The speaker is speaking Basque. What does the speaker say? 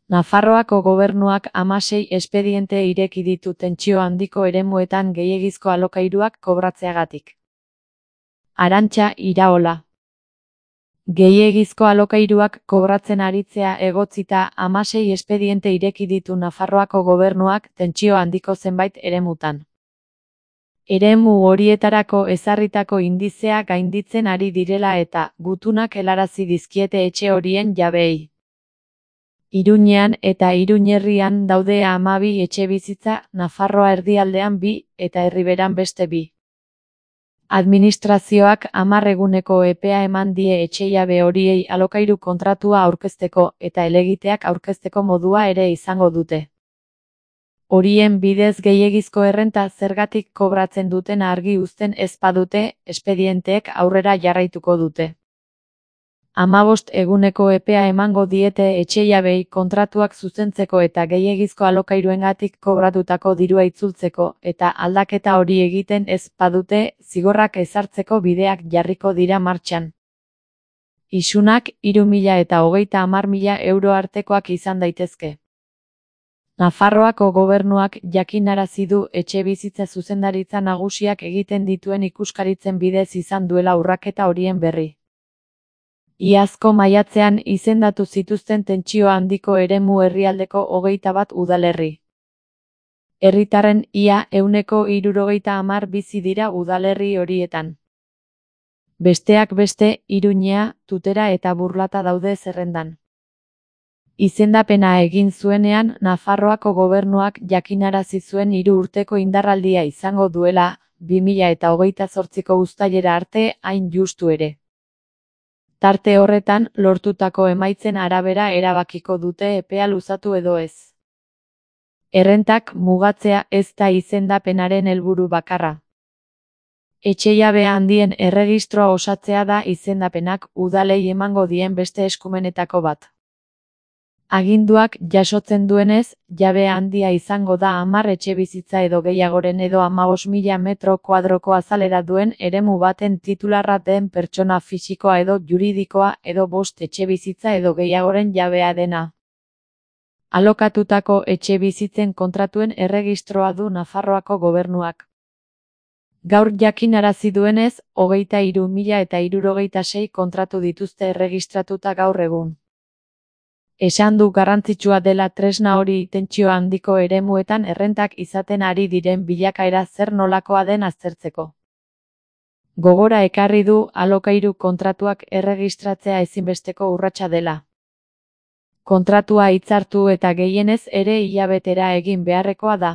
Nafarroako gobernuak 16 espediente ireki ditu tentsio handiko eremuetan gehiegizko alokairuak kobratzeagatik. Arantxa Iraola. Gehiegizko alokairuak kobratzen aritzea egotzita 16 espediente ireki ditu Nafarroako gobernuak tentsio handiko zenbait eremutan. Eremu horietarako ezarritako indizea gainditzen ari direla eta gutunak helarazi dizkiete etxe horien jabeei. Iruñean eta Iruñerrian daude 12 etxebizitza, Nafarroa erdialdean 2 eta Erriberan beste 2. Administrazioak 10 eguneko epea eman die etxejabe horiei alokairu kontratua aurkezteko eta helegiteak aurkezteko modua ere izango dute. Horien bidez gehiegizko errenta zergatik kobratzen duten argi uzten ez badute, espedienteek aurrera jarraituko dute. 15 eguneko epea emango diete etxejabei kontratuak zuzentzeko eta gehiegizko alokairuengatik kobratutako dirua itzultzeko eta aldaketa hori egiten ez badute, zigorrak ezartzeko bideak jarriko dira martxan. Isunak 3.000 eta 30.000 euro artekoak izan daitezke. Nafarroako gobernuak jakinarazi du etxebizitza zuzendaritza nagusiak egiten dituen ikuskaritzen bidez izan duela urraketa horien berri. Iazko maiatzean izendatu zituzten tentsio handiko eremu herrialdeko 21 udalerri. Herritarren ia 170 bizi dira udalerri horietan. Besteak beste, Iruñea, Tutera eta Burlata daude zerrendan. Izendapena egin zuenean, Nafarroako gobernuak jakinarazi zuen 3 urteko indarraldia izango duela, 2028ko uztailera arte hain justu ere. Tarte horretan, lortutako emaitzen arabera erabakiko dute epea luzatu edo ez. Errentak mugatzea ez da izendapenaren helburu bakarra. Etxejabe handien erregistroa osatzea da izendapenak udalei emango dien beste eskumenetako bat. Aginduak jasotzen duenez, jabe handia izango da 10 etxebizitza edo gehiagoren edo 15.000 metro kuadroko azalera duen eremu baten titularra den pertsona fisikoa edo juridikoa edo 5 etxebizitza edo gehiagoren jabea dena. Alokatutako etxebizitzen kontratuen erregistroa du Nafarroako gobernuak. Gaur jakinarazi duenez, 23.066 kontratu dituzte erregistratuta gaur egun. Esan du garrantzitsua dela tresna hori tentsio handiko eremuetan errentak izaten ari diren bilakaera zer nolakoa den aztertzeko. Gogora ekarri du alokairu kontratuak erregistratzea ezinbesteko urratsa dela. Kontratua hitzartu eta gehienez ere hilabetera egin beharrekoa da.